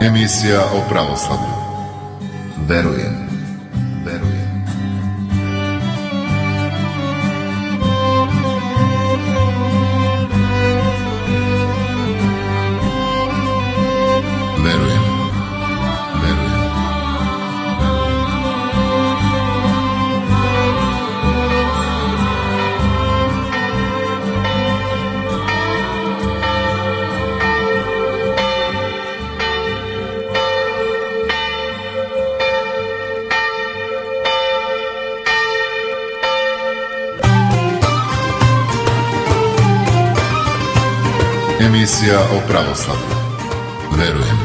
Emisija o pravoslavlju. Verujem. Emisija o pravoslavlju. Verujem.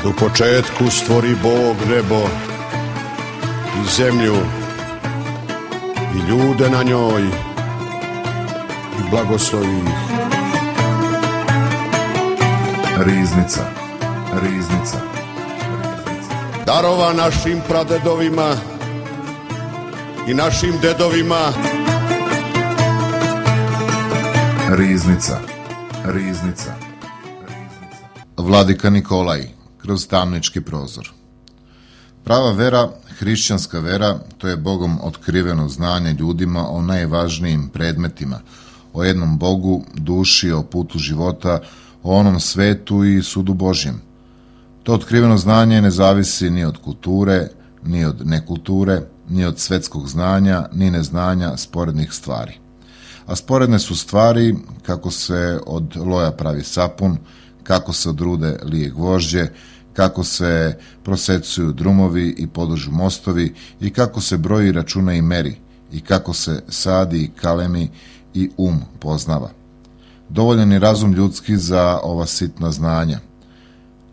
U početku stvori Bog nebo i zemlju i ljude na njoj i blagoslovi ih. Riznica. Darova našim pradedovima i našim dedovima. Riznica. Vladika Nikolaj, kroz tamnički prozor. Prava vera, hrišćanska vera, to je Bogom otkriveno znanje ljudima o najvažnijim predmetima, o jednom Bogu, duši, o putu života, o onom svetu i sudu Božjem. To otkriveno znanje ne zavisi ni od kulture, ni od nekulture, ni od svetskog znanja, ni neznanja sporednih stvari. A sporedne su stvari kako se od loja pravi sapun, kako se od rude lije gvožđe, kako se prosecuju drumovi i podužu mostovi i kako se broji, računa i meri i kako se sadi i kalemi i poznava. Dovoljan je razum ljudski za ova sitna znanja.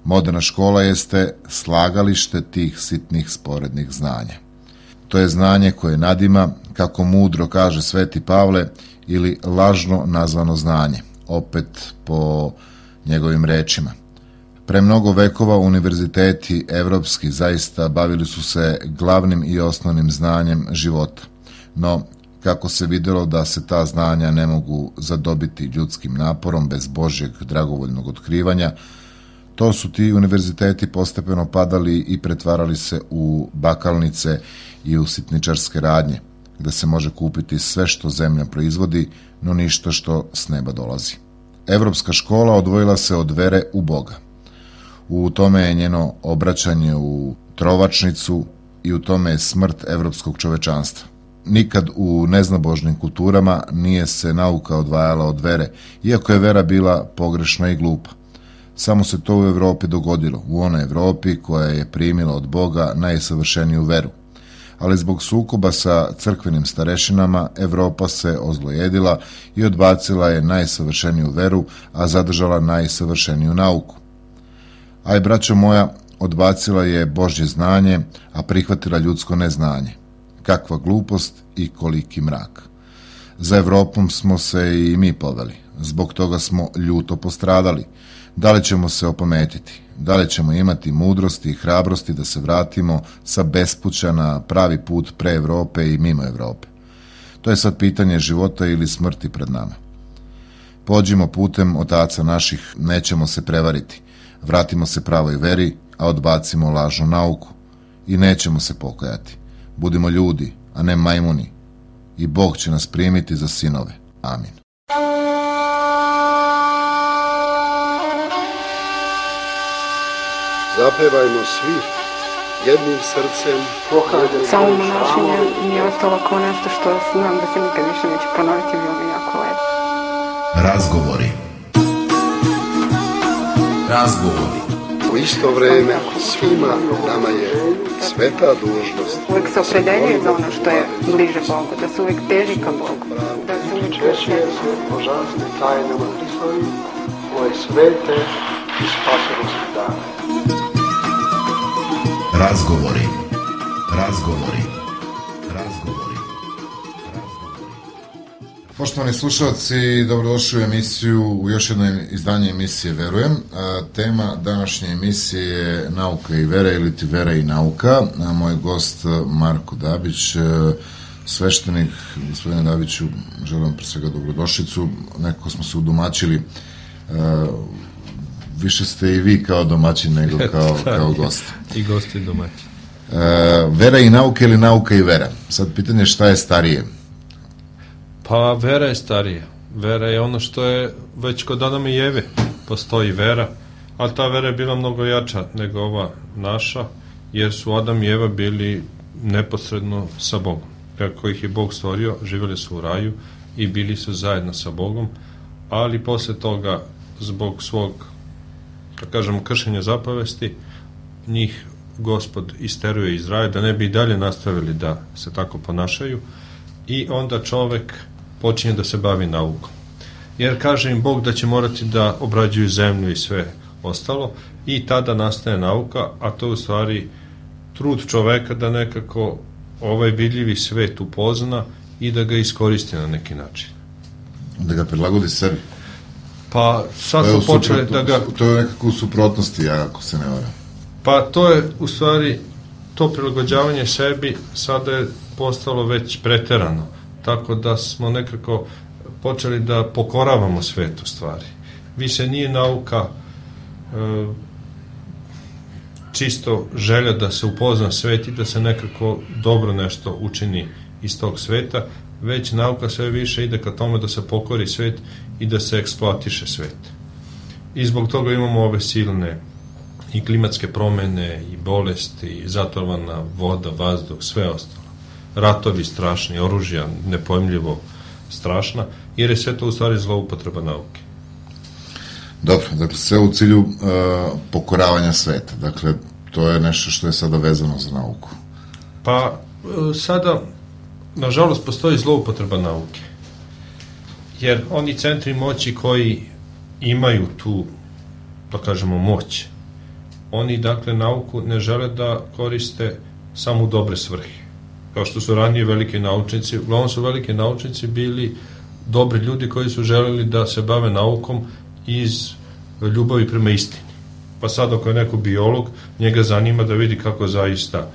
Moderna škola jeste slagalište tih sitnih sporednih znanja. To je znanje koje nadima, kako mudro kaže Sveti Pavle, ili lažno nazvano znanje, opet po njegovim rečima. Pre mnogo vekova univerziteti evropski zaista bavili su se glavnim i osnovnim znanjem života, no kako se vidjelo da se ta znanja ne mogu zadobiti ljudskim naporom bez Božjeg dragovoljnog otkrivanja, to su ti univerziteti postepeno padali i pretvarali se u bakalnice i u sitničarske radnje, gde se može kupiti sve što zemlja proizvodi, no ništa što s neba dolazi. Evropska škola odvojila se od vere u Boga. U tome je njeno obraćanje u trovačnicu i u tome je smrt evropskog čovečanstva. Nikad u neznabožnim kulturama nije se nauka odvajala od vere, iako je vera bila pogrešna i glupa. Samo se to u Evropi dogodilo, u onoj Evropi koja je primila od Boga najsavršeniju veru. Ali zbog sukoba sa crkvenim starešinama, Evropa se ozlojedila i odbacila je najsavršeniju veru, a zadržala najsavršeniju nauku. Aj, braćo moja, odbacila je Božje znanje, a prihvatila ljudsko neznanje. Kakva glupost i koliki mrak. Za Evropom smo se i mi poveli. Zbog toga smo ljuto postradali. Da li ćemo se opametiti? Da li ćemo imati mudrosti i hrabrosti da se vratimo sa bespuća na pravi put pre Evrope i mimo Evrope? To je sad pitanje života ili smrti pred nama. Pođimo putem otaca naših, nećemo se prevariti. Vratimo se pravoj veri, a odbacimo lažnu nauku. I nećemo se pokajati. Budimo ljudi, a ne majmuni. I Bog će nas primiti za sinove. Amin. Zapevajmo svi jednim srcem. Samo monašenje mi je ostalo kao nešto što znam da se nikad više neće ponoviti, bilo mi jako lepo. Razgovori. U isto vreme svima nama je sveta dužnost. Uvijek se opredeljuje za ono što je bliže Bogu, da se uvijek teži ka Bogu, da se uvijek Češće božanstvim tajnama Hristovim, ove svete i spasonosne dane. Razgovori. Poštovani slušalci, dobrodošli u emisiju, u još jedno izdanje emisije Verujem. Tema današnje emisije je Nauka i vera ili ti vera i nauka. Moj gost Marko Dabić, sveštenik. Gospodine Dabiću, želim pre svega dobrodošlicu. Nekako smo se udomaćili. Više ste i vi kao domaćin nego kao gost. I gosti domaćin. Vera i nauka ili nauka i vera? Sad pitanje šta je starije? Pa vera je starija. Vera je ono što je već kod Adama i Eve postoji vera, ali ta vera je bila mnogo jača nego ova naša, jer su Adam i Eva bili neposredno sa Bogom. Kako ih je Bog stvorio, živjeli su u raju i bili su zajedno sa Bogom, ali posle toga, zbog svog, da kažemo, kršenja zapovesti, njih Gospod isteruje iz raja, da ne bi i dalje nastavili da se tako ponašaju, i onda čovek počinje da se bavi naukom. Jer kaže im Bog da će morati da obrađuju zemlju i sve ostalo, i tada nastaje nauka, a to je u stvari trud čoveka da nekako ovaj vidljivi svet upozna i da ga iskoristi na neki način. Da ga prilagodi sebi. Pa sad smo počeli da ga... To je nekako u suprotnosti, ako se ne varam. Pa to je u stvari, to prilagođavanje sebi sada je postalo već preterano, tako da smo nekako počeli da pokoravamo svet u stvari. Više nije nauka čisto želja da se upozna svet i da se nekako dobro nešto učini iz tog sveta, već nauka sve više ide ka tome da se pokori svet i da se eksploatiše svet. I zbog toga imamo ove silne i klimatske promene, i bolesti, i zatrovana voda, vazduh, sve ostalo. Ratovi strašni, oružja nepojmljivo strašna, jer je sve to u stvari zloupotreba nauke. Dobro, dakle, sve u cilju pokoravanja sveta. Dakle, to je nešto što je sada vezano za nauku. Pa, sada, nažalost, postoji zloupotreba nauke. Jer oni centri moći koji imaju tu, da kažemo, moć, oni, dakle, nauku ne žele da koriste samo u dobre svrhe. Kao što su ranije veliki naučnici, uglavnom su veliki naučnici bili dobri ljudi koji su želeli da se bave naukom iz ljubavi prema istini. Pa sad ako je neko biolog, njega zanima da vidi kako zaista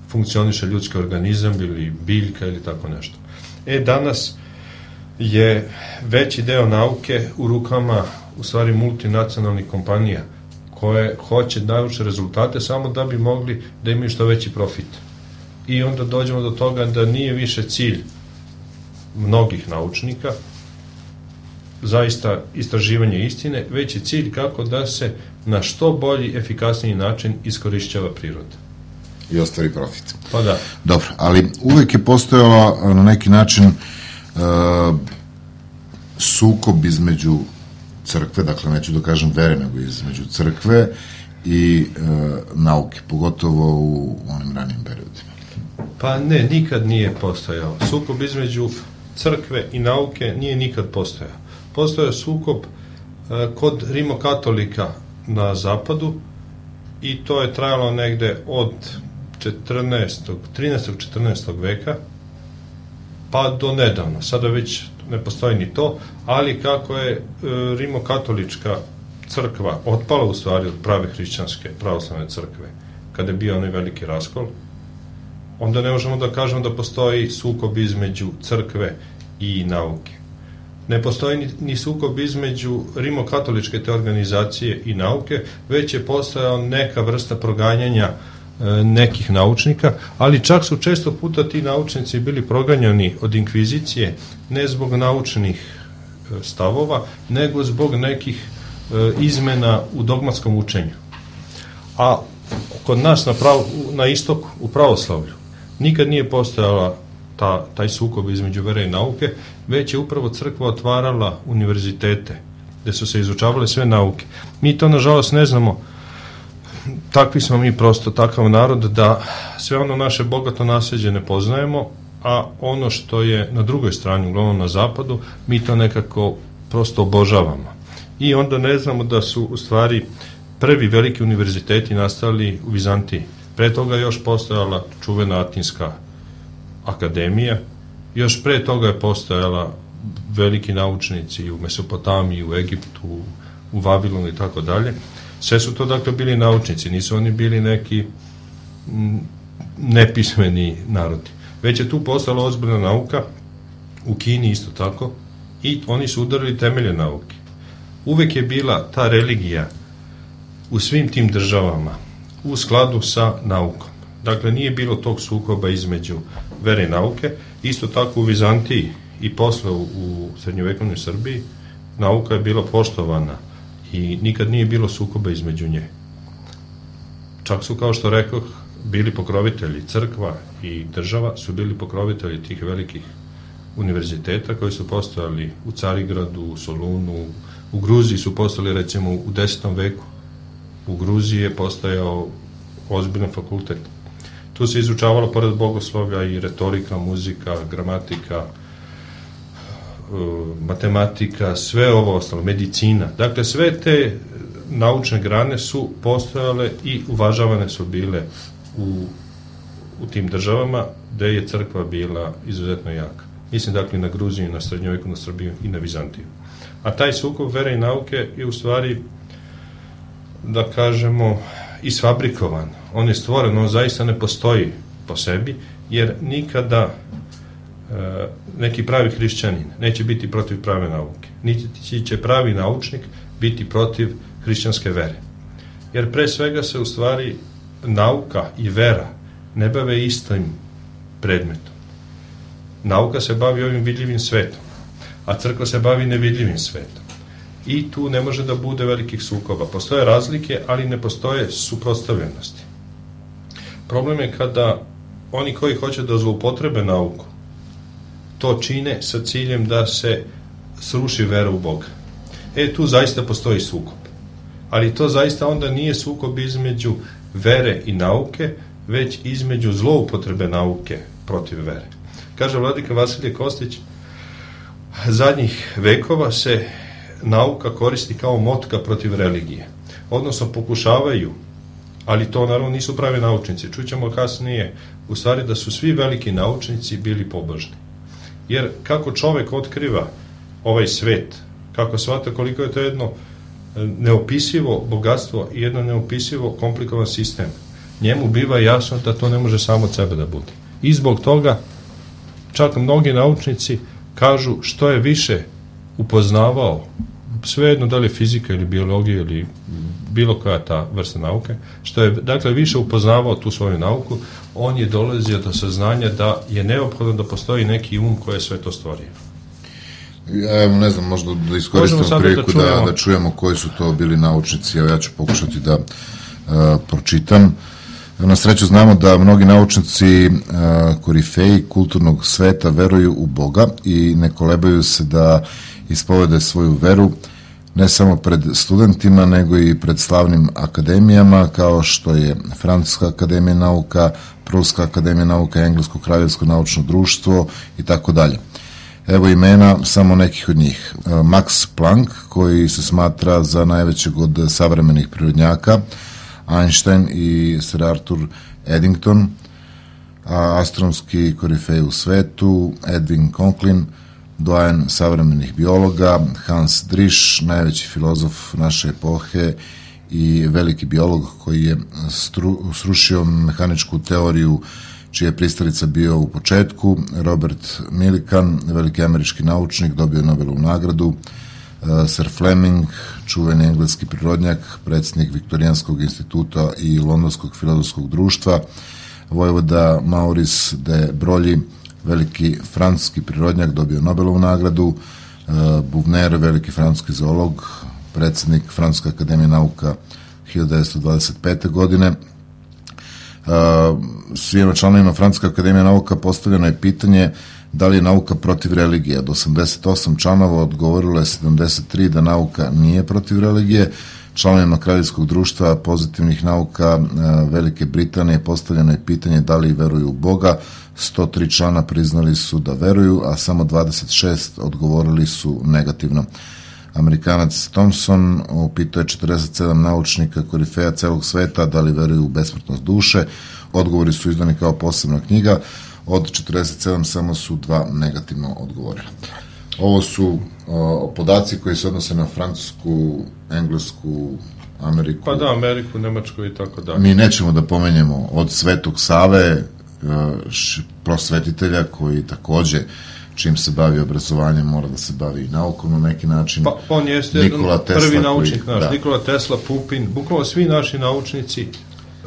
funkcioniše ljudski organizam ili biljka ili tako nešto. Danas je veći deo nauke u rukama u stvari multinacionalnih kompanija koje hoće naučne rezultate samo da bi mogli da imaju što veći profit. I onda dođemo do toga da nije više cilj mnogih naučnika zaista istraživanje istine, već je cilj kako da se na što bolji, efikasniji način iskorišćava priroda. I ostvari profit. Pa da. Dobro, ali uvek je postojala na neki način sukob između crkve, dakle neću da kažem vere, nego između crkve i nauke, pogotovo u onim ranijim periodima. Pa ne, nikad nije postojao. Sukob između crkve i nauke nije nikad postojao. Postojao je sukob kod rimokatolika na zapadu i to je trajalo negde od 13. 14. veka pa do nedavno. Sada već ne postoji ni to, ali kako je rimokatolička crkva otpala u stvari od prave hrišćanske pravoslavne crkve, kada je bio onaj veliki raskol, onda ne možemo da kažemo da postoji sukob između crkve i nauke. Ne postoji ni sukob između rimokatoličke te organizacije i nauke, već je postojao neka vrsta proganjanja nekih naučnika, ali čak su često puta ti naučnici bili proganjani od inkvizicije ne zbog naučnih stavova, nego zbog nekih izmena u dogmatskom učenju. A kod nas na istoku, u pravoslavlju, nikad nije postojala taj sukob između vere i nauke, već je upravo crkva otvarala univerzitete, gde su se izučavale sve nauke. Mi to, nažalost, ne znamo. Takvi smo mi prosto, takav narod, da sve ono naše bogato nasleđe ne poznajemo, a ono što je na drugoj strani, uglavnom na zapadu, mi to nekako prosto obožavamo. I onda ne znamo da su u stvari prvi veliki univerziteti nastali u Vizantiji. Pre toga još postojala čuvena Atinska akademija, još pre toga je postojala veliki naučnici u Mesopotamiji, u Egiptu, u Vavilonu i tako dalje. Sve su to dakle bili naučnici, nisu oni bili neki nepismeni narodi. Već je tu postala ozbiljna nauka, u Kini isto tako, i oni su udarili temelje nauke. Uvek je bila ta religija u svim tim državama u skladu sa naukom. Dakle, nije bilo tog sukoba između vere i nauke. Isto tako u Vizantiji i posle u srednjovekovnoj Srbiji nauka je bila poštovana i nikad nije bilo sukoba između nje. Čak su, kao što rekoh, bili pokrovitelji, crkva i država su bili pokrovitelji tih velikih univerziteta koji su postojali u Carigradu, u Solunu, u Gruziji su postojali recimo u 10. veku. U Gruziji je postojao ozbiljan fakultet. Tu se izučavalo pored bogoslovlja i retorika, muzika, gramatika, matematika, sve ovo ostalo, medicina. Dakle, sve te naučne grane su postojale i uvažavane su bile u tim državama gde je crkva bila izuzetno jaka. Mislim, dakle, na Gruziju, na srednjovekovnu Srbiju i na Vizantiju. A taj sukob vere i nauke je u stvari, da kažemo, isfabrikovan. On je stvoren, on zaista ne postoji po sebi, jer nikada neki pravi hrišćanin neće biti protiv prave nauke. Niti će pravi naučnik biti protiv hrišćanske vere. Jer pre svega se u stvari nauka i vera ne bave istim predmetom. Nauka se bavi ovim vidljivim svetom, a crkva se bavi nevidljivim svetom. I tu ne može da bude velikih sukoba. Postoje razlike, ali ne postoje suprotstavljenosti. Problem je kada oni koji hoće da zloupotrebe nauku to čine sa ciljem da se sruši vera u Boga. Tu zaista postoji sukob. Ali to zaista onda nije sukob između vere i nauke, već između zloupotrebe nauke protiv vere. Kaže vladika Vasilije Kostić, zadnjih vekova se nauka koristi kao motka protiv religije. Odnosno pokušavaju, ali to naravno nisu pravi naučnici. Čućemo kasnije, u stvari da su svi veliki naučnici bili pobožni. Jer kako čovek otkriva ovaj svet, kako shvata koliko je to jedno neopisivo bogatstvo i jedno neopisivo komplikovan sistem, njemu biva jasno da to ne može samo od sebe da bude. I zbog toga čak mnogi naučnici kažu što je više upoznavao, svejedno da li je fizika ili biologija ili bilo koja ta vrsta nauke, što je dakle više upoznavao tu svoju nauku, on je dolazio do saznanja da je neophodno da postoji neki koji je sve to stvorio. Evo, ne znam, možda da iskoristimo priliku da čujemo koji su to bili naučnici. Evo, ja ću pokušati da pročitam. Na sreću znamo da mnogi naučnici korifeji kulturnog sveta veruju u Boga i ne kolebaju se da ispovede svoju veru ne samo pred studentima, nego i pred slavnim akademijama, kao što je Francuska akademija nauka, Pruska akademija nauka, Englesko kraljevsko naučno društvo i tako dalje. Evo imena samo nekih od njih. Max Planck, koji se smatra za najvećeg od savremenih prirodnjaka, Einstein i Sir Arthur Eddington, a astronomski korifej u svetu Edwin Conklin, doajen savremenih biologa, Hans Drisch, najveći filozof naše epohe i veliki biolog koji je srušio mehaničku teoriju čija je pristalica bio u početku, Robert Millikan, veliki američki naučnik, dobio Nobelovu nagradu, Sir Fleming, čuveni engleski prirodnjak, predsjednik Viktorijanskog instituta i Londonskog filozofskog društva, vojvoda Maurice de Broglie, veliki francuski prirodnjak, dobio Nobelovu nagradu, Buvner, veliki francuski zoolog, predsjednik Francuske akademije nauka 1925. godine. Svima članovima Francuske akademije nauka postavljeno je pitanje da li je nauka protiv religije. Od 88 članova odgovorilo je 73 da nauka nije protiv religije. Članovima Kraljevskog društva pozitivnih nauka Velike Britanije postavljeno je pitanje da li veruju u Boga. 103 člana priznali su da veruju, a samo 26 odgovorili su negativno. Amerikanac Thomson upitao je 47 naučnika korifeja celog sveta da li veruju u besmrtnost duše. Odgovori su izdani kao posebna knjiga. Od 47 samo su 2 negativno odgovorila. Ovo su podaci koji se odnose na Francusku, Englesku, Ameriku. Pa da, Ameriku, Nemačku i tako dalje. Mi nećemo da pomenjemo od Svetog Save, prosvetitelja koji takođe čim se bavi obrazovanjem mora da se bavi i naukom na neki način. Pa on jeste prvi naučnik naš, da. Nikola Tesla, Pupin, bukvalno svi naši naučnici,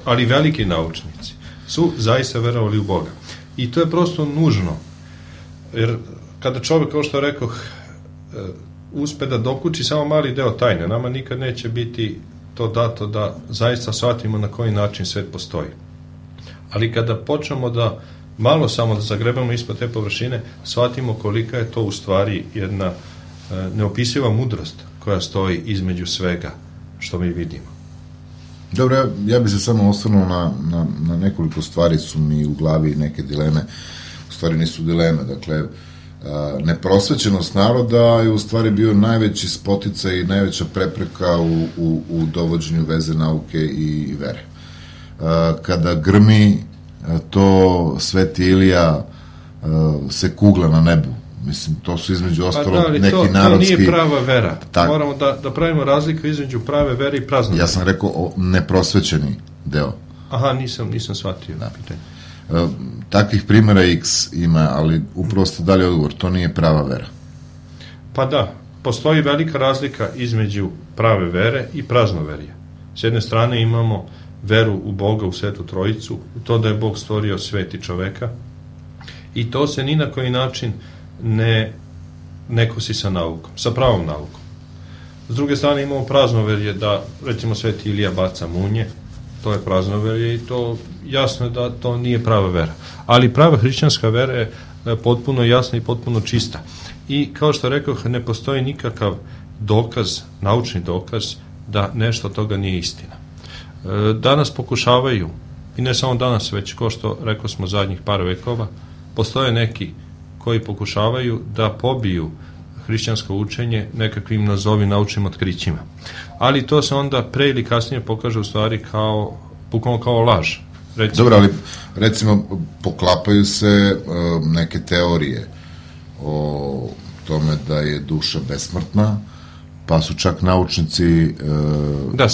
ali veliki naučnici, su zaista verovali u Boga. I to je prosto nužno, jer kada čovjek, kao što rekoh, uspe da dokuči samo mali deo tajne, nama nikad neće biti to dato da zaista shvatimo na koji način svet postoji. Ali kada počnemo da malo samo da zagrebamo ispod te površine, shvatimo kolika je to u stvari jedna neopisiva mudrost koja stoji između svega što mi vidimo. Dobro, ja bih se samo osvrnuo na nekoliko stvari, su mi u glavi neke dileme, u stvari nisu dileme, dakle, neprosvećenost naroda je u stvari bio najveći spoticaj i najveća prepreka u dovođenju veze nauke i vere. Kada grmi, to Sveti Ilija se kugla na nebu. Mislim, to su između ostalo neki narodski... To nije prava vera. Moramo da pravimo razliku između prave vere i prazne vere. Ja sam rekao neprosvećeni deo. Aha, nisam shvatio. Da. Takvih primjera X ima, ali upravo ste dali odgovor, to nije prava vera. Pa da, postoji velika razlika između prave vere i praznoverje. S jedne strane imamo veru u Boga, u Svetu Trojicu, u to da je Bog stvorio svet i čoveka, i to se ni na koji način ne kosi sa naukom, sa pravom naukom. S druge strane imamo praznoverje da, recimo, Sveti Ilija baca munje, to je praznoverje i to jasno je da to nije prava vera. Ali prava hrišćanska vera je potpuno jasna i potpuno čista. I kao što rekoh, ne postoji nikakav dokaz, naučni dokaz, da nešto od toga nije istina. Danas pokušavaju, i ne samo danas, već kao što rekao smo zadnjih par vekova, postoje neki koji pokušavaju da pobiju hrišćansko učenje nekakvim nazovi naučnim otkrićima. Ali to se onda pre ili kasnije pokaže u stvari bukvalno kao laž. Dobro, ali recimo poklapaju se neke teorije o tome da je duša besmrtna, pa su čak naučnici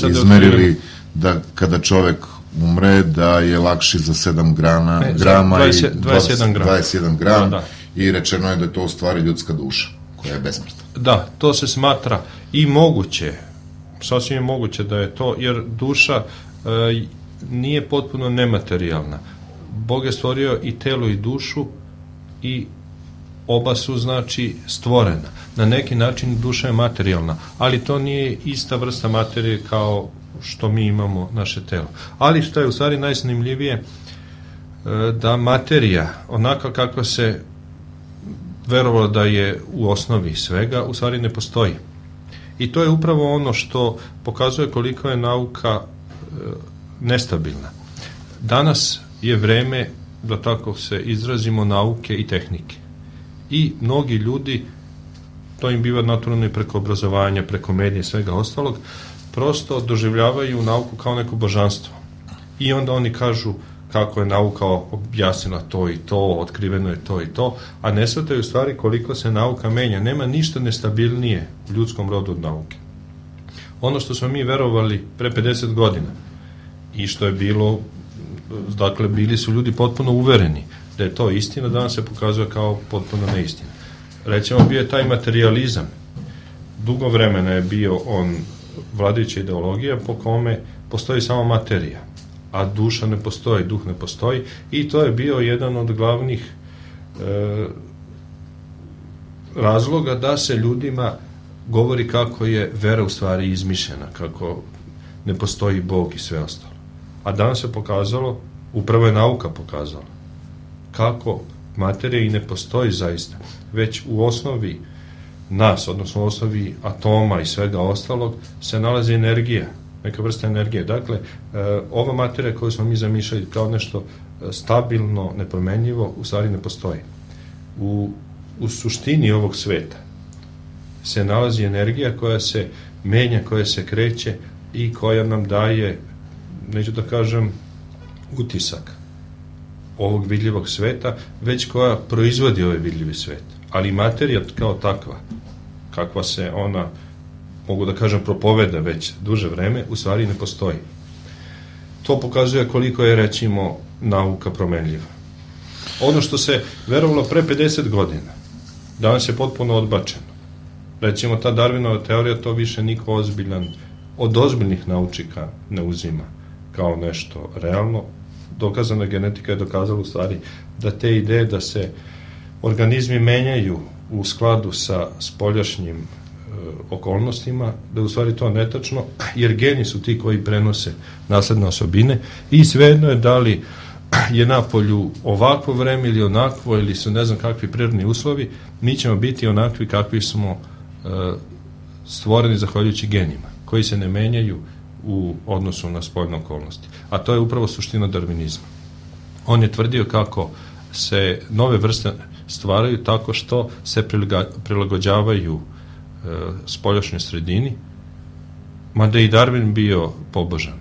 izmerili da kada čovek umre da je lakši za 7 grama 21 gram i rečeno je da je to u stvari ljudska duša koja je besmrtna. Da, to se smatra i moguće, sasvim je moguće da je to, jer duša nije potpuno nematerijalna. Bog je stvorio i telo i dušu i oba su, znači, stvorena. Na neki način duša je materijalna, ali to nije ista vrsta materije kao što mi imamo naše telo. Ali što je u stvari najzanimljivije, da materija, onako kako se verovalo da je u osnovi svega, u stvari ne postoji. I to je upravo ono što pokazuje koliko je nauka nestabilna. Danas je vreme, da tako se izrazimo, nauke i tehnike. I mnogi ljudi, to im biva naturalno i preko obrazovanja, preko medija i svega ostalog, prosto doživljavaju nauku kao neko božanstvo. I onda oni kažu kako je nauka objasnila to i to, otkriveno je to i to, a ne shvataju u stvari koliko se nauka menja. Nema ništa nestabilnije u ljudskom rodu od nauke. Ono što smo mi verovali pre 50 godina i što je bilo, dakle, bili su ljudi potpuno uvereni da je to istina, danas se pokazuje kao potpuno neistina. Recimo, bio je taj materijalizam. Dugo vremena je bio on vladajuća ideologija po kome postoji samo materija, a duša ne postoji, duh ne postoji, i to je bio jedan od glavnih razloga da se ljudima govori kako je vera u stvari izmišljena, kako ne postoji Bog i sve ostalo. A danas se pokazalo, upravo je nauka pokazala, kako materija i ne postoji zaista, već u osnovi nas, odnosno u osnovi atoma i svega ostalog, se nalazi energija, neka vrsta energije. Dakle, ova materija koju smo mi zamišljali kao nešto stabilno, nepromenljivo, u stvari ne postoji. U suštini ovog sveta se nalazi energija koja se menja, koja se kreće i koja nam daje, neću da kažem, utisak ovog vidljivog sveta, već koja proizvodi ovaj vidljivi svet. Ali materija kao takva, kakva se ona, mogu da kažem, propoveda već duže vreme, u stvari ne postoji. To pokazuje koliko je, recimo, nauka promenljiva. Ono što se verovalo pre 50 godina, danas je potpuno odbačeno. Recimo, ta Darwinova teorija, to više niko ozbiljan, od ozbiljnih naučnika ne uzima kao nešto realno. Dokazana genetika je dokazala u stvari da te ideje da se organizmi menjaju u skladu sa spoljašnjim okolnostima, da je u stvari to netačno, jer geni su ti koji prenose nasledne osobine i svejedno je da li je napolju ovakvo vreme ili onakvo, ili su ne znam kakvi prirodni uslovi, mi ćemo biti onakvi kakvi smo stvoreni zahvaljujući genima, koji se ne menjaju u odnosu na spoljne okolnosti. A to je upravo suština darvinizma. On je tvrdio kako se nove vrste stvaraju tako što se prilagođavaju spoljašnjoj sredini, mada i Darwin bio pobožan.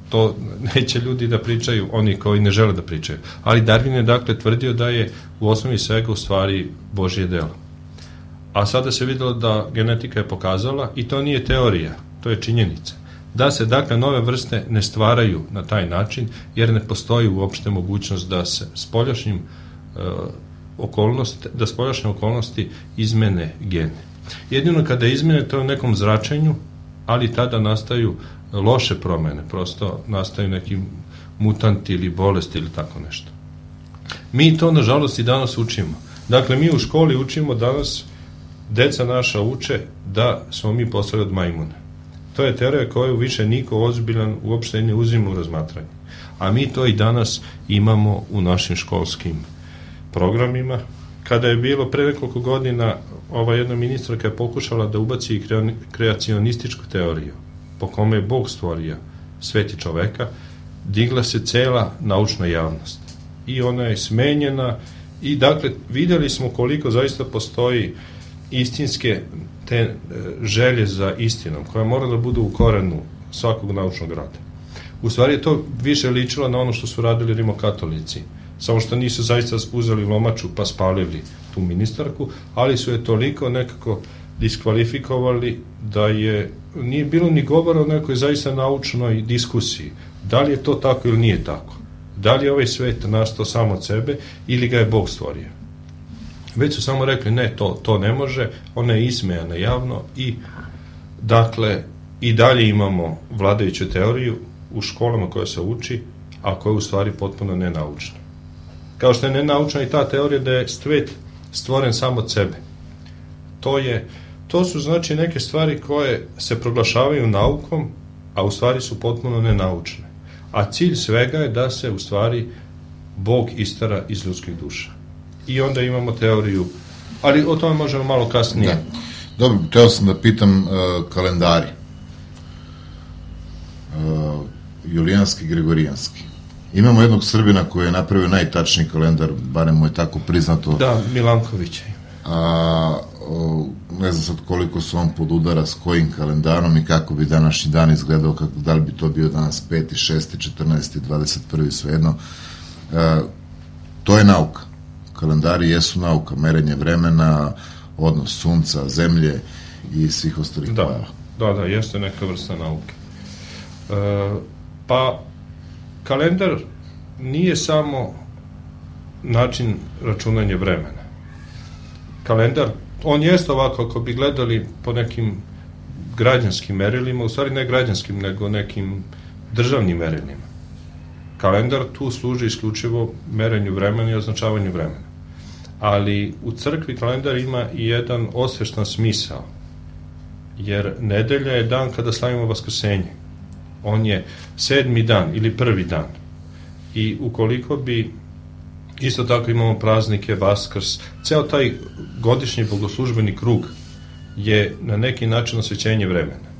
To neće ljudi da pričaju, oni koji ne žele da pričaju. Ali Darwin je dakle tvrdio da je u osnovi svega u stvari Božje delo. A sada se videlo da genetika je pokazala, i to nije teorija, to je činjenica, da se dakle nove vrste ne stvaraju na taj način, jer ne postoji uopšte mogućnost da se spoljašnje okolnosti izmene gene. Jedino kada izmene, to je u nekom zračenju, ali tada nastaju loše promene, prosto nastaju neki mutanti ili bolesti ili tako nešto. Mi to, nažalost, i danas učimo. Dakle, mi u školi učimo danas, deca naša uče da smo mi postali od majmuna. To je teorija koju više niko ozbiljan uopšte ne uzima u razmatranje. A mi to i danas imamo u našim školskim programima. Kada je bilo pre nekoliko godina, ova jedna ministarka je pokušala da ubaci kreacionističku teoriju, po kome je Bog stvorio svet i čoveka, digla se cela naučna javnost. I ona je smenjena i dakle videli smo koliko zaista postoji istinske te želje za istinom, koja mora da bude u korenu svakog naučnog rada. U stvari je to više ličilo na ono što su radili rimokatolici, samo što nisu zaista uzeli lomaču pa spalili tu ministarku, ali su je toliko nekako diskvalifikovali da nije bilo ni govora o nekoj zaista naučnoj diskusiji. Da li je to tako ili nije tako? Da li je ovaj svet nastao samo od sebe ili ga je Bog stvorio? Već su samo rekli ne, to ne može, ona je ismejana javno i dakle i dalje imamo vladajuću teoriju u školama koja se uči, a koja je u stvari potpuno nenaučna. Kao što je nenaučna i ta teorija da je svet stvoren samo od sebe. To su znači neke stvari koje se proglašavaju naukom, a u stvari su potpuno nenaučne. A cilj svega je da se u stvari Bog istara iz ljudskih duša. I onda imamo teoriju, ali o tome možemo malo kasnije. Da. Dobro, teo sam da pitam kalendari. Julijanski, Gregorijanski. Imamo jednog Srbina koji je napravio najtačniji kalendar, barem mu je tako priznato. Da, Milanković je. ne znam sad koliko se on podudara s kojim kalendarom i kako bi današnji dan izgledao, da li bi to bio danas 5., 6., 14., 21., svejedno. To je nauka. Kalendari jesu nauka, merenje vremena, odnos sunca, zemlje i svih ostalih pojava. Da, jeste neka vrsta nauke. Pa, kalendar nije samo način računanja vremena. Kalendar, on jeste ovako, ako bi gledali po nekim građanskim merilima, u stvari ne građanskim, nego nekim državnim merilima. Kalendar tu služi isključivo merenju vremena i označavanju vremena. Ali u crkvi kalendar ima i jedan osveštan smisao, jer nedelja je dan kada slavimo Vaskrsenje. On je 7. dan ili 1. dan. I ukoliko bi, isto tako imamo praznike, Vaskrs, ceo taj godišnji bogoslužbeni krug je na neki način osvećenje vremena.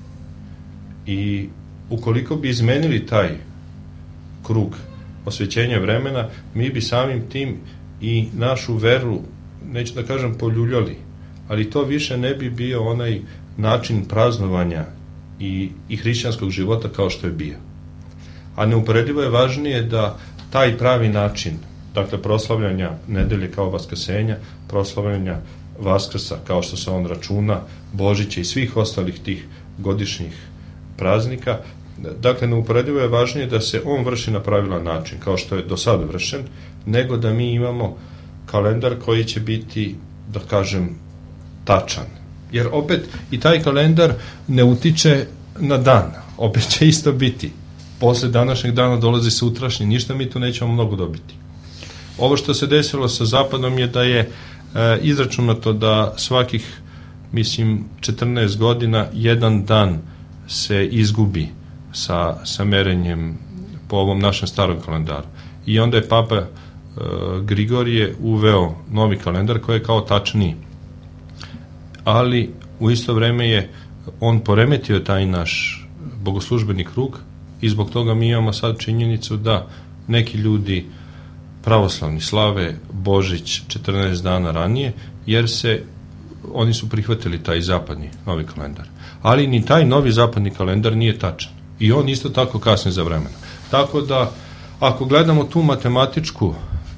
I ukoliko bi izmenili taj krug osvećenja vremena, mi bi samim tim i našu veru, neću da kažem poljuljali, ali to više ne bi bio onaj način praznovanja i hrišćanskog života kao što je bio. A neuporedivo je važnije da taj pravi način, dakle proslavljanja nedelje kao Vaskrsenja, proslavljanja Vaskrsa kao što se on računa, Božića i svih ostalih tih godišnjih praznika, dakle neuporedivo je važnije da se on vrši na pravilan način, kao što je do sada vršen, nego da mi imamo kalendar koji će biti, da kažem, tačan. Jer opet i taj kalendar ne utiče na dan, opet će isto biti. Posle današnjeg dana dolazi sutrašnji, ništa mi tu nećemo mnogo dobiti. Ovo što se desilo sa Zapadom je da je izračunato da svakih, mislim, 14 godina jedan dan se izgubi sa merenjem po ovom našem starom kalendaru. I onda je Papa Grigorije uveo novi kalendar koji je kao tačniji. Ali u isto vreme je on poremetio taj naš bogoslužbeni krug i zbog toga mi imamo sad činjenicu da neki ljudi pravoslavni slave Božić 14 dana ranije, jer oni su prihvatili taj zapadni novi kalendar. Ali ni taj novi zapadni kalendar nije tačan. I on isto tako kasni za vremena. Tako da, ako gledamo tu matematičku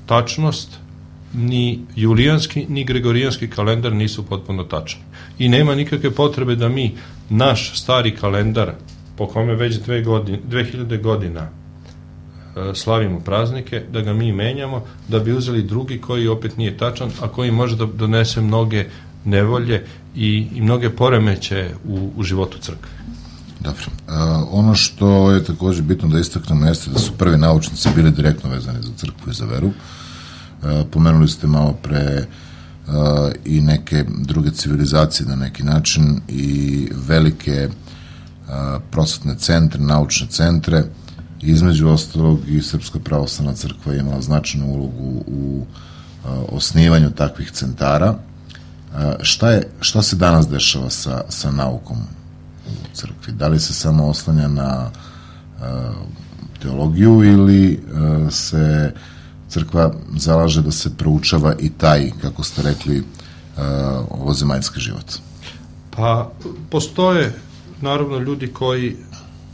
tačnost, ni julijanski, ni gregorijanski kalendar nisu potpuno tačni. I nema nikakve potrebe da mi naš stari kalendar, po kome već 2000 godina slavimo praznike, da ga mi menjamo, da bi uzeli drugi koji opet nije tačan, a koji može da donese mnoge nevolje i mnoge poremeće u životu crkve. Dobro. Ono što je također bitno da istaknemo jeste da su prvi naučnici bili direktno vezani za crkvu i za veru. Pomenuli ste malo pre i neke druge civilizacije na neki način i velike prosvetne centre, naučne centre. Između ostalog i Srpska pravoslavna crkva je imala značajnu ulogu u osnivanju takvih centara. Šta se danas dešava sa naukom u crkvi? Da li se samo oslanja na teologiju ili se crkva zalaže da se proučava i taj, kako ste rekli, ovozemaljski život? Pa, postoje naravno ljudi koji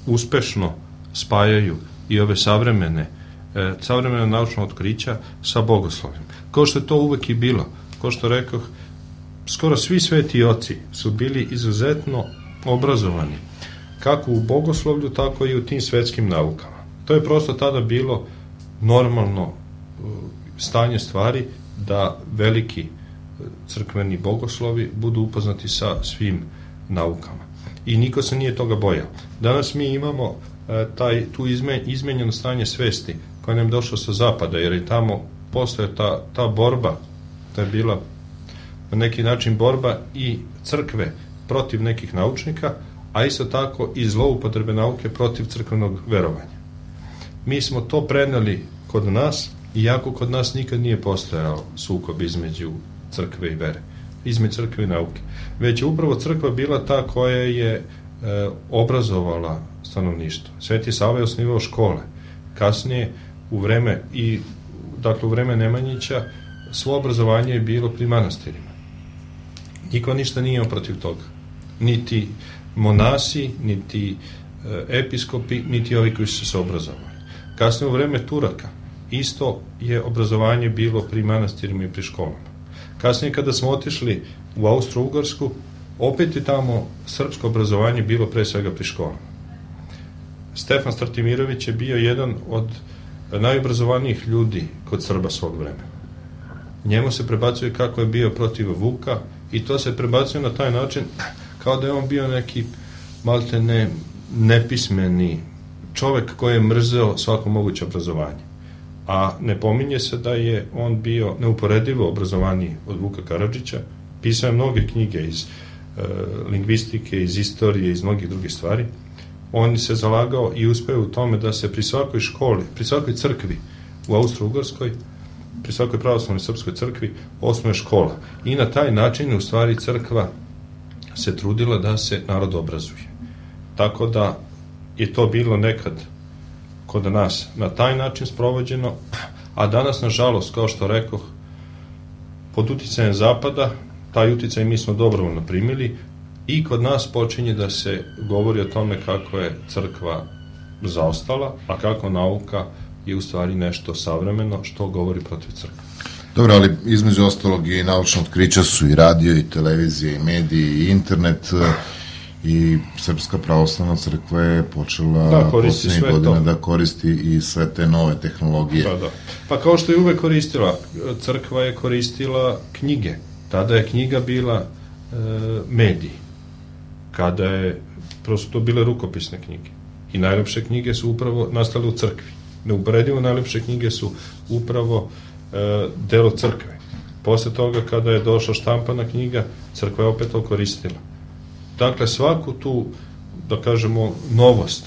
uspešno spajaju i ove savremena naučna otkrića sa bogoslovljem. Kao što je to uvek i bilo. Kao što rekoh, skoro svi sveti oci su bili izuzetno obrazovani, kako u bogoslovlju, tako i u tim svetskim naukama. To je prosto tada bilo normalno stanje stvari da veliki crkveni bogoslovi budu upoznati sa svim naukama. I niko se nije toga bojao. Danas mi imamo tu izmenjeno stanje svesti koja nam je došla sa zapada, jer je tamo postoje ta borba, to je bila na neki način borba i crkve protiv nekih naučnika, a isto tako i zloupotrebe nauke protiv crkvenog verovanja. Mi smo to preneli kod nas, iako kod nas nikad nije postojao sukob između crkve i vere, između crkve i nauke. Već je upravo crkva bila ta koja je obrazovala stanovništvo. Sveti Sava je osnivao škole. Kasnije, u vreme Nemanjića, svo obrazovanje je bilo pri manastirima. Niko ništa nije imao protiv toga. Niti monasi, niti episkopi, niti ovi koji su se obrazovali. Kasnije u vreme Turaka isto je obrazovanje bilo pri manastirima i pri školama. Kasnije kada smo otišli u Austro-Ugarsku, opet je tamo srpsko obrazovanje bilo pre svega pri školama. Stefan Stratimirović je bio jedan od najobrazovanijih ljudi kod Srba svog vremena. Njemu se prebacuje kako je bio protiv Vuka i to se prebacuje na taj način kao da je on bio neki maltene nepismeni čovek koji je mrzeo svako moguće obrazovanje. A ne pominje se da je on bio neuporedivo obrazovaniji od Vuka Karadžića, pisao je mnoge knjige iz lingvistike, iz istorije, iz mnogih drugih stvari. On se zalagao i uspeo u tome da se pri svakoj školi, pri svakoj crkvi u Austro-Ugarskoj, pri svakoj pravoslavnoj srpskoj crkvi osnuje škola. I na taj način u stvari crkva se trudila da se narod obrazuje. Tako da je to bilo nekad kod nas na taj način sprovođeno, a danas, nažalost, kao što rekoh, pod uticajem Zapada, taj uticaj mi smo dobrovoljno primili i kod nas počinje da se govori o tome kako je crkva zaostala, a kako nauka je u stvari nešto savremeno što govori protiv crkve. Dobro, ali između ostalog i naučna otkrića su i radio, i televizija, i mediji, i internet, i Srpska pravoslavna crkva je počela posljednjih godina da koristi i sve te nove tehnologije. Da. Pa kao što je uvek koristila, crkva je koristila knjige. Tada je knjiga bila medij. Kada je prosto bile rukopisne knjige. I najlepše knjige su upravo nastale u crkvi. Neuporedivo najlepše knjige su upravo delo crkve. Posle toga, kada je došla štampana knjiga, crkva je opet to koristila. Dakle, svaku tu, da kažemo, novost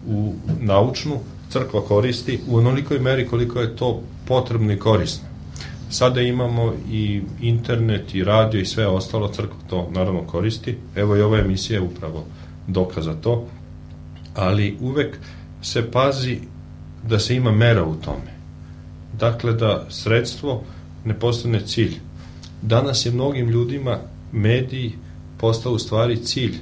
u naučnu crkva koristi u onolikoj meri koliko je to potrebno i korisno. Sada imamo i internet, i radio, i sve ostalo, crkva to naravno koristi. Evo i ova emisija je upravo dokaz za to, ali uvek se pazi da se ima mera u tome. Dakle, da sredstvo ne postane cilj. Danas je mnogim ljudima mediji postao u stvari cilj.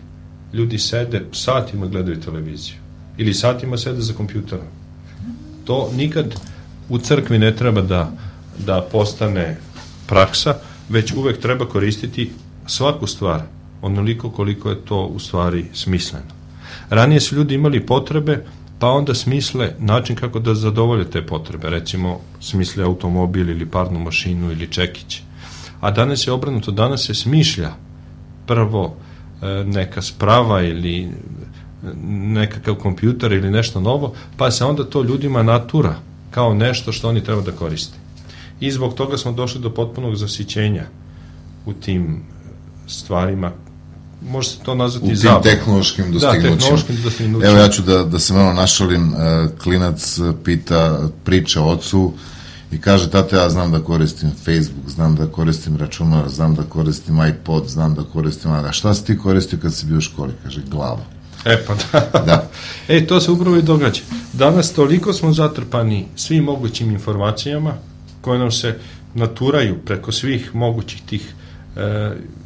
Ljudi sede, satima gledaju televiziju ili satima sede za kompjuterom. To nikad u crkvi ne treba da postane praksa, već uvek treba koristiti svaku stvar, onoliko koliko je to u stvari smisleno. Ranije su ljudi imali potrebe, pa onda smisle način kako da zadovolje te potrebe. Recimo, smisle automobil ili parnu mašinu ili čekić. A danas je obrnuto, danas se smišlja prvo neka sprava ili nekakav kompjuter ili nešto novo, pa se onda to ljudima natura kao nešto što oni treba da koriste. I zbog toga smo došli do potpunog zasićenja u tim stvarima. Može se to nazvati zabavom. U tim tehnološkim dostignućima. Evo, ja ću da se malo našalim. Klinac priča ocu i kaže: tate, ja znam da koristim Facebook, znam da koristim računar, znam da koristim iPod, znam da koristim... A šta si ti koristio kad si bio u školi? Kaže: glavu. Pa da. To se upravo i događa. Danas toliko smo zatrpani svim mogućim informacijama koje nam se naturaju preko svih mogućih tih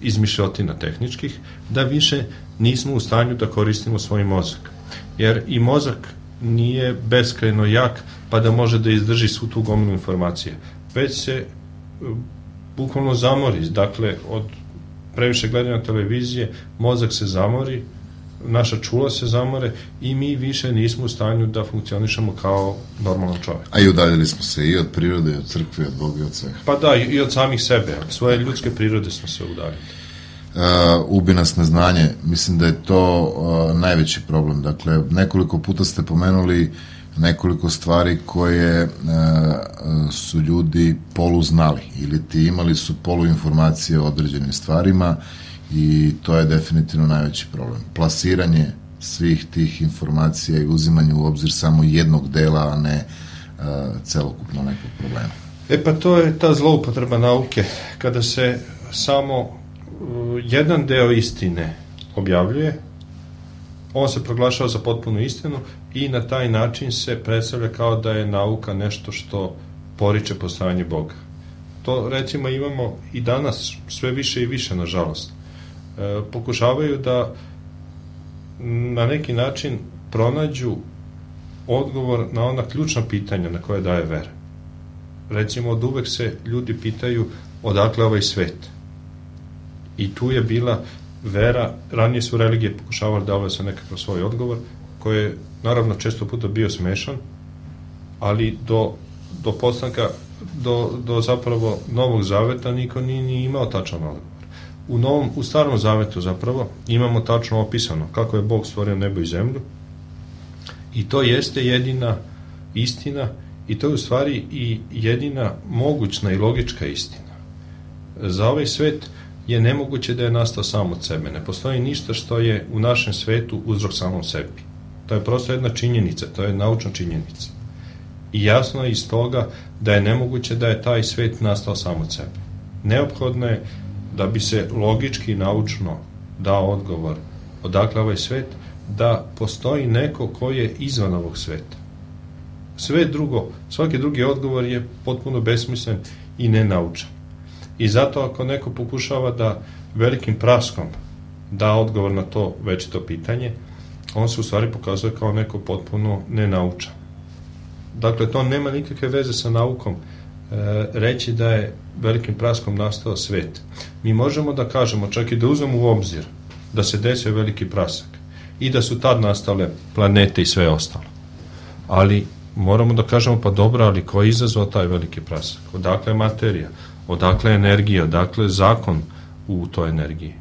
izmišljotina tehničkih, da više nismo u stanju da koristimo svoj mozak. Jer i mozak nije beskrajno jak pa da može da izdrži svu tu gomilu informacije. Već se bukvalno zamori. Dakle, od previše gledanja televizije mozak se zamori, naša čula se zamore i mi više nismo u stanju da funkcionišemo kao normalan čovjek. A i udaljili smo se i od prirode, i od crkve, i od Boga, i od svega. Pa da, i od samih sebe. Od svoje ljudske prirode smo se udaljili. Ubi nas neznanje. Mislim da je to najveći problem. Dakle, nekoliko puta ste pomenuli nekoliko stvari koje su ljudi poluznali ili ti imali su poluinformacije o određenim stvarima i to je definitivno najveći problem. Plasiranje svih tih informacija i uzimanje u obzir samo jednog dela, a ne celokupno nekog problema. Pa to je ta zloupotreba nauke, kada se samo jedan deo istine objavljuje, on se proglašava za potpunu istinu i na taj način se predstavlja kao da je nauka nešto što poriče postojanje Boga. to recimo imamo i danas sve više i više, nažalost. Pokušavaju da na neki način pronađu odgovor na ona ključna pitanja na koje daje vera. Recimo, od uvek se ljudi pitaju odakle ovaj svet. I tu je bila vera, ranije su religije pokušavali da se nekakav svoj odgovor, koji je naravno često puta bio smešan, ali do postanka, do zapravo Novog Zaveta niko nije imao tačan odgovor. U Starom Zavetu zapravo imamo tačno opisano kako je Bog stvorio nebo i zemlju, i to jeste jedina istina, i to je u stvari i jedina mogućna i logička istina. Za ovaj svet je nemoguće da je nastao sam od sebe. Ne postoji ništa što je u našem svetu uzrok samom sebi. To je prosto jedna činjenica, to je naučna činjenica. I jasno je iz toga da je nemoguće da je taj svet nastao sam od sebe. Neophodno je da bi se logički i naučno dao odgovor odakle ovaj svet, da postoji neko ko je izvan ovog sveta. Sve drugo, svaki drugi odgovor je potpuno besmislen i nenaučan. I zato ako neko pokušava da velikim praskom da odgovor na to večito pitanje, on se u stvari pokazuje kao neko potpuno nenaučan. Dakle, to nema nikakve veze sa naukom reći da je velikim praskom nastao svet. Mi možemo da kažemo, čak i da uzmemo u obzir da se desio veliki prasak i da su tad nastale planete i sve ostalo. Ali moramo da kažemo, pa dobro, ali ko je izazvao taj veliki prasak? Odakle je materija? Odakle je energija? Odakle je zakon u toj energiji?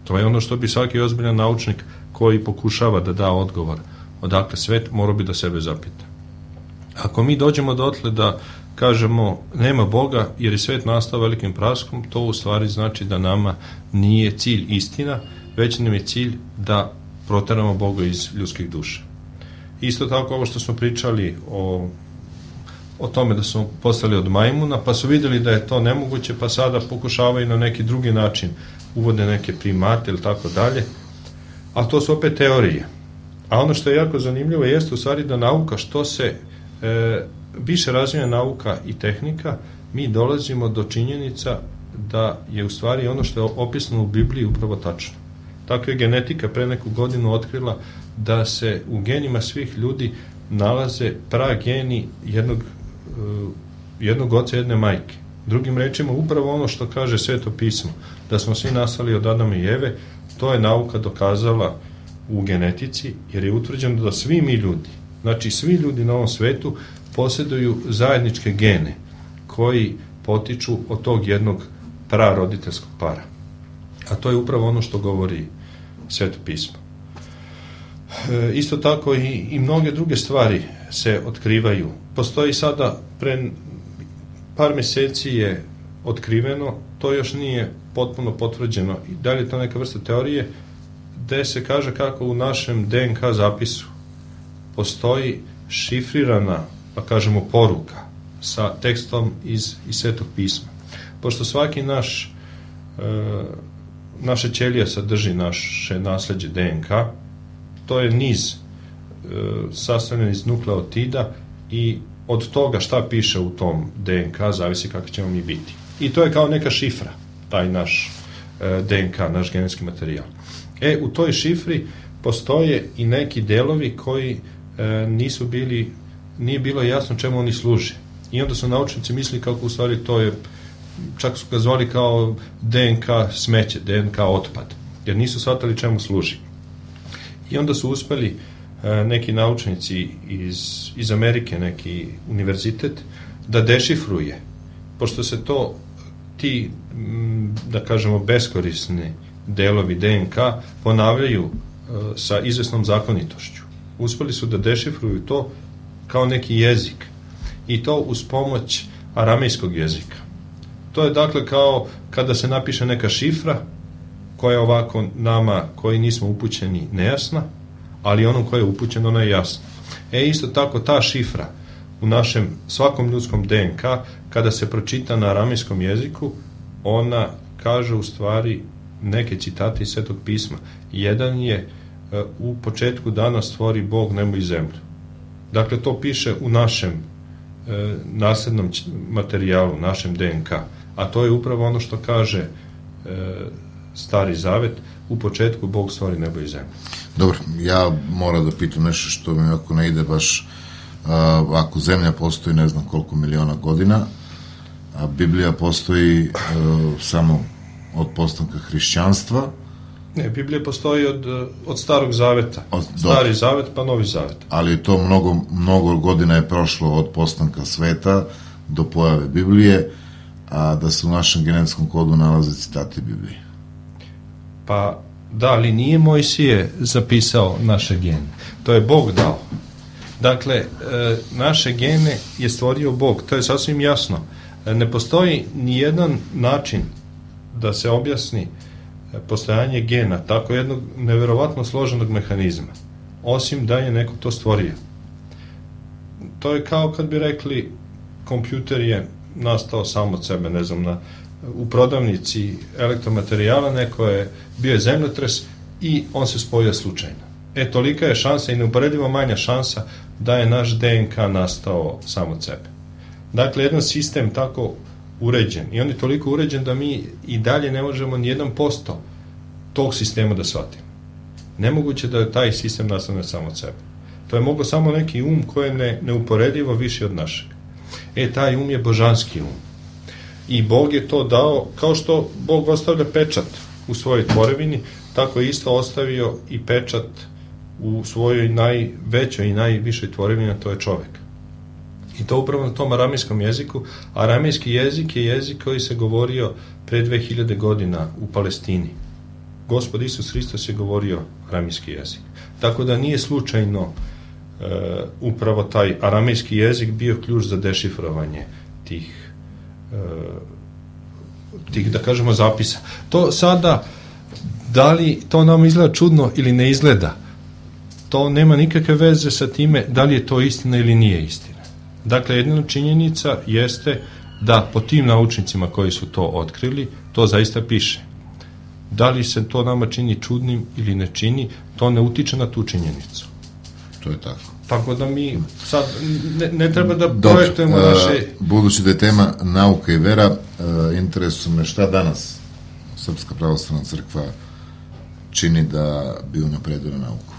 To je ono što bi svaki ozbiljan naučnik koji pokušava da da odgovor odakle svet, mora bi da sebe zapita. Ako mi dođemo dotle da kažemo nema Boga jer je svet nastao velikim praskom, to u stvari znači da nama nije cilj istina, već nam je cilj da proteramo Boga iz ljudskih duša. Isto tako ovo što smo pričali o tome da smo postali od majmuna, pa su vidjeli da je to nemoguće, pa sada pokušavaju na neki drugi način, uvode neke primate ili tako dalje, a to su opet teorije. A ono što je jako zanimljivo jeste u stvari da nauka, što se više razvija nauka i tehnika, mi dolazimo do činjenica da je u stvari ono što je opisano u Bibliji upravo tačno. Tako je genetika pre neku godinu otkrila da se u genima svih ljudi nalaze prageni jednog oca, jedne majke. Drugim rečima, upravo ono što kaže Sveto pismo, da smo svi nastali od Adama i Eve, to je nauka dokazala u genetici, jer je utvrđeno da svi mi ljudi, znači svi ljudi na ovom svetu, posjeduju zajedničke gene koji potiču od tog jednog praroditeljskog para. A to je upravo ono što govori Sveto pismo. Isto tako i mnoge druge stvari se otkrivaju. Postoji sada, pre par meseci je otkriveno, to još nije potpuno potvrđeno, i da li je to neka vrsta teorije, gde se kaže kako u našem DNK zapisu postoji šifrirana, pa kažemo, poruka sa tekstom iz Svetog pisma. Pošto svaki naša ćelija sadrži naše nasleđe DNK, to je niz sastavljen iz nukleotida i od toga šta piše u tom DNK zavisi kako ćemo mi biti. I to je kao neka šifra, taj naš DNK, naš genetski materijal. U toj šifri postoje i neki delovi koji nije bilo jasno čemu oni služe. I onda su naučnici mislili kako u stvari to je, čak su ga zvali kao DNK smeće, DNK otpad, jer nisu shvatali čemu služi. I onda su uspeli neki naučnici iz Amerike, neki univerzitet, da dešifruje, pošto se ti, da kažemo, beskorisni delovi DNK ponavljaju sa izvesnom zakonitošću. Uspeli su da dešifruju to kao neki jezik, i to uz pomoć aramejskog jezika. To je dakle kao kada se napiše neka šifra koja je ovako nama koji nismo upućeni nejasna, ali onom koji je upućen ona je jasna. Isto tako ta šifra u našem svakom ljudskom DNK, kada se pročita na aramejskom jeziku, ona kaže u stvari neke citate iz Svetog pisma. Jedan je u početku dana stvori Bog nebo i zemlju. Dakle, to piše u našem naslednom materijalu, našem DNK. A to je upravo ono što kaže Stari Zavet, u početku Bog stvori nebo i zemlju. Dobro, ja moram da pitam nešto što mi ako ne ide baš, ako zemlja postoji ne znam koliko miliona godina, a Biblija postoji samo od postanka hrišćanstva. Ne, Biblija postoji od Starog Zaveta. Stari Zavet pa Novi Zavet. Ali to mnogo godina je prošlo od postanka sveta do pojave Biblije, a da se u našem genetskom kodu nalaze citati Biblije. Pa da, ali nije Mojsije zapisao naše gene. To je Bog dao. Dakle, naše gene je stvorio Bog. To je sasvim jasno. Ne postoji ni jedan način da se objasni postojanje gena, tako jednog neverovatno složenog mehanizma, osim da je neko to stvorio. To je kao kad bi rekli kompjuter je nastao sam od sebe, ne znam, u prodavnici elektromaterijala neko je bio zemljotres i on se spojio slučajno. Tolika je šansa i neuporedivo manja šansa da je naš DNK nastao sam od sebe. Dakle, jedan sistem tako uređen i on je toliko uređen da mi i dalje ne možemo ni 1% tog sistema da shvatimo. Nemoguće da je taj sistem nastane samo od sebe. To je moglo samo neki koji je neuporedivo viši od našeg. Taj je božanski I Bog je to dao, kao što Bog ostavlja pečat u svojoj tvorevini, tako je isto ostavio i pečat u svojoj najvećoj i najvišoj tvorevini, a to je čovek. I to upravo na tom aramejskom jeziku. Aramejski jezik je jezik koji se govorio pre 2000 godina u Palestini. Gospod Isus Hristos je govorio aramejski jezik. Tako da nije slučajno upravo taj aramejski jezik bio ključ za dešifrovanje tih, da kažemo, zapisa. To sada, da li to nam izgleda čudno ili ne izgleda, to nema nikakve veze sa time da li je to istina ili nije istina. Dakle, jedna činjenica jeste da po tim naučnicima koji su to otkrili, to zaista piše. Da li se to nama čini čudnim ili ne čini, to ne utiče na tu činjenicu. To je tako. Tako da mi sad ne treba da projektujemo naše... Budući da je tema nauka i vera, interesuje me šta danas Srpska pravoslavna crkva čini da bi unapredila nauku.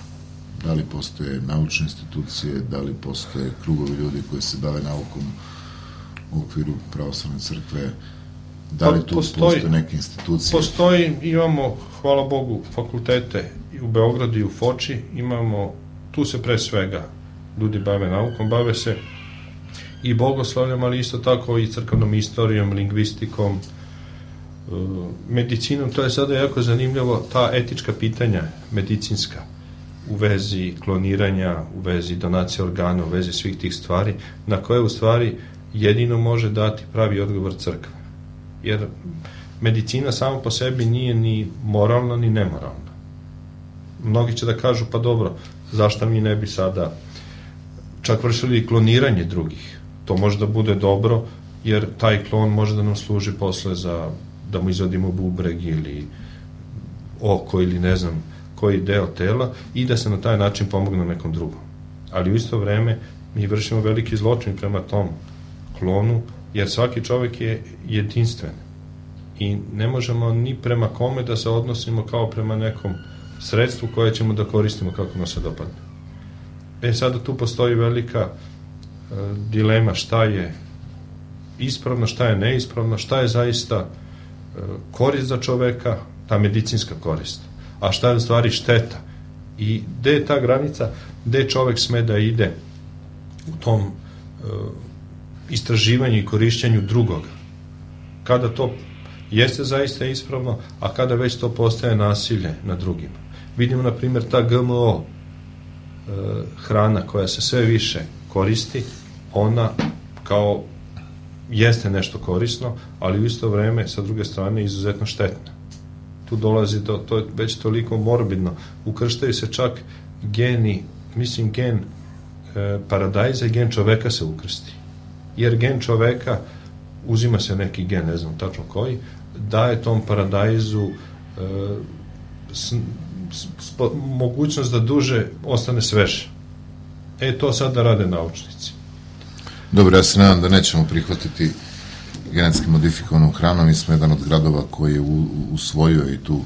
Da li postoje naučne institucije, da li postoje krugovi ljudi koji se bave naukom u okviru pravoslavne crkve, da li tu postoje neke institucije? Postoji, imamo, hvala Bogu, fakultete u Beogradu i u Foči, imamo, tu se pre svega ljudi bave naukom, bave se i bogoslovljom, ali isto tako i crkvenom istorijom, lingvistikom, medicinom. To je sada jako zanimljivo, ta etička pitanja medicinska u vezi kloniranja, u vezi donacije organa, u vezi svih tih stvari, na koje u stvari jedino može dati pravi odgovor crkve. Jer medicina sama po sebi nije ni moralna ni nemoralna. Mnogi će da kažu, pa dobro, zašto mi ne bi sada čak vršili kloniranje drugih? To može da bude dobro, jer taj klon može da nam služi posle za da mu izvadimo bubreg ili oko ili ne znam koji deo tela i da se na taj način pomogne nekom drugom. Ali u isto vreme mi vršimo veliki zločin prema tom klonu, jer svaki čovek je jedinstven i ne možemo ni prema kome da se odnosimo kao prema nekom sredstvu koje ćemo da koristimo kako nam se dopadne. Sada tu postoji velika dilema šta je ispravno, šta je neispravno, šta je zaista korist za čoveka, ta medicinska korist, a šta je u stvari šteta i gde je ta granica, gde čovek sme da ide u tom istraživanju i korišćenju drugoga, kada to jeste zaista ispravno, a kada već to postaje nasilje na drugima. Vidimo, na primjer, ta GMO hrana koja se sve više koristi, ona kao jeste nešto korisno, ali u isto vreme, sa druge strane, izuzetno štetna. Tu dolazi do, to je već toliko morbidno. Ukrštaju se čak geni, mislim gen paradajza i gen čoveka se ukrsti. Jer gen čoveka, uzima se neki gen, ne znam tačno koji, daje tom paradajzu mogućnost da duže ostane sveže. To sada rade naučnici. Dobro, ja se nadam da nećemo prihvatiti genetski modifikovanu hranu. Mi smo jedan od gradova koji je usvojio i tu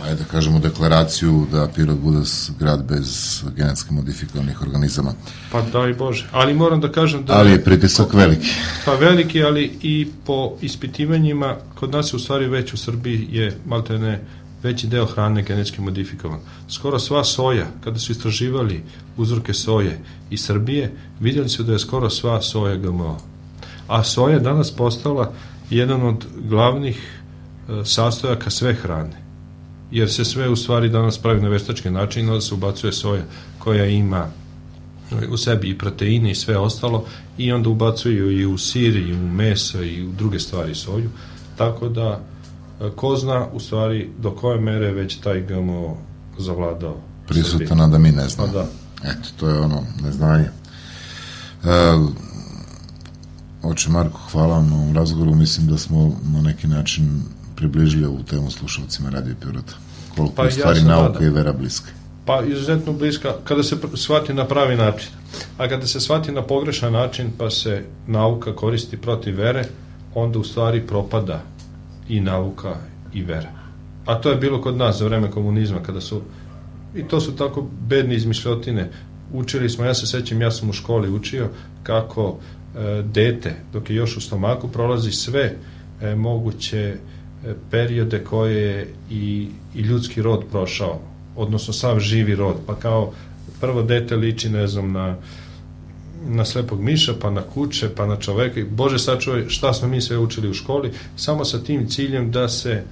ajde da kažemo deklaraciju da Pirot bude grad bez genetski modifikovanih organizama. Pa daj Bože, ali moram da kažem da... Ali je pritisak veliki. Pa veliki, ali i po ispitivanjima, kod nas je u stvari već u Srbiji je maltene veći deo hrane genetski modifikovan. Skoro sva soja, kada su istraživali uzorke soje iz Srbije, vidjeli su da je skoro sva soja GMO. A soja je danas postala jedan od glavnih sastojaka sve hrane. Jer se sve u stvari danas pravi na veštački način, onda se ubacuje soja koja ima u sebi i proteine i sve ostalo i onda ubacuju i u sir i u meso i u druge stvari soju. Tako da ko zna u stvari do koje mere već taj GMO zavladao prisutana da mi ne znamo. Da. Eto, to je ono neznanje. Oče Marko, hvala vam na ovom razgovoru. Mislim da smo na neki način približili ovu temu slušalcima Radio Pirota. Koliko je stvari nauka i vera bliska. Pa izuzetno bliska kada se shvati na pravi način. A kada se shvati na pogrešan način pa se nauka koristi protiv vere, onda u stvari propada i nauka i vera. A to je bilo kod nas za vreme komunizma, kada su, i to su tako bedne izmišljotine, učili smo, ja se sećam, ja sam u školi učio kako dete, dok je još u stomaku, prolazi sve moguće periode koje je i ljudski rod prošao, odnosno sav živi rod, pa kao prvo dete liči, ne znam, na slepog miša, pa na kuće, pa na čoveka. Bože sačuvaj, šta smo mi sve učili u školi, samo sa tim ciljem da se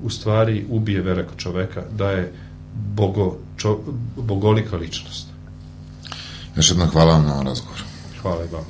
u stvari ubije vera kod čoveka, da je bogolika ličnost. Još jedno hvala vam na ovom razgovoru. Hvala i vam.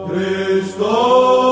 Christos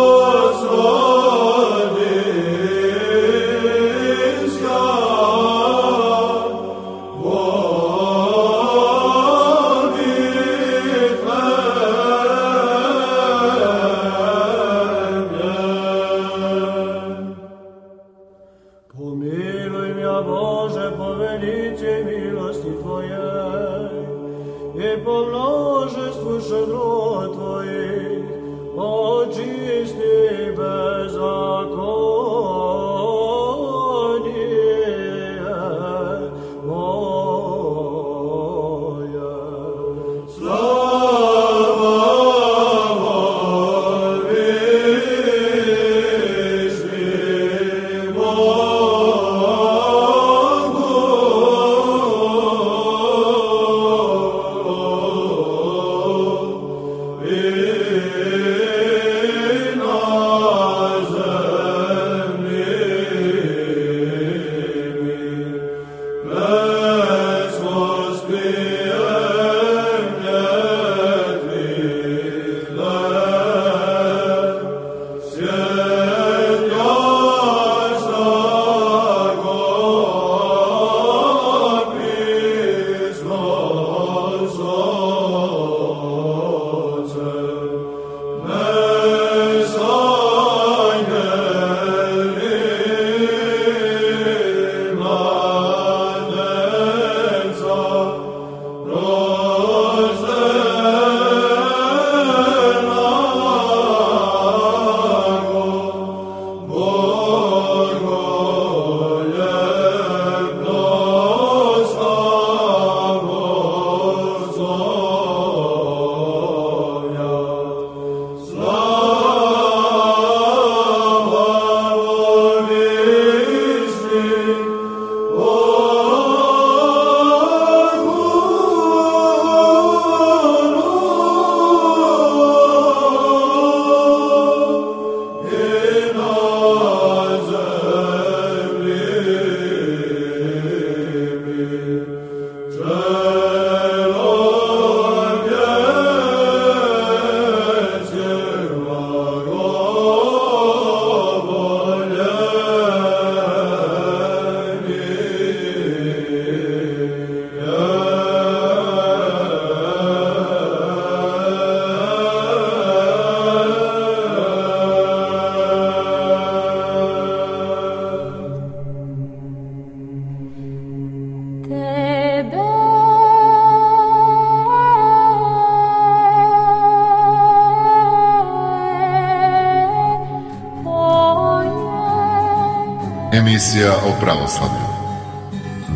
Emisija o pravoslavlju.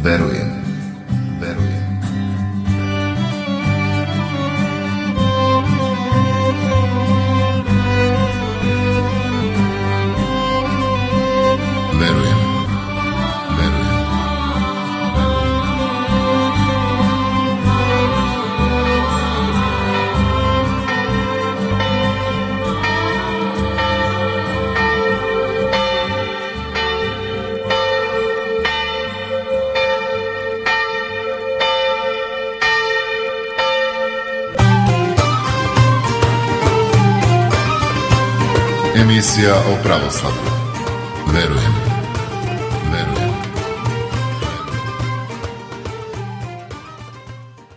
Verujem. Verujem. Verujem. Verujem. Emisija o pravoslavlju. Verujem.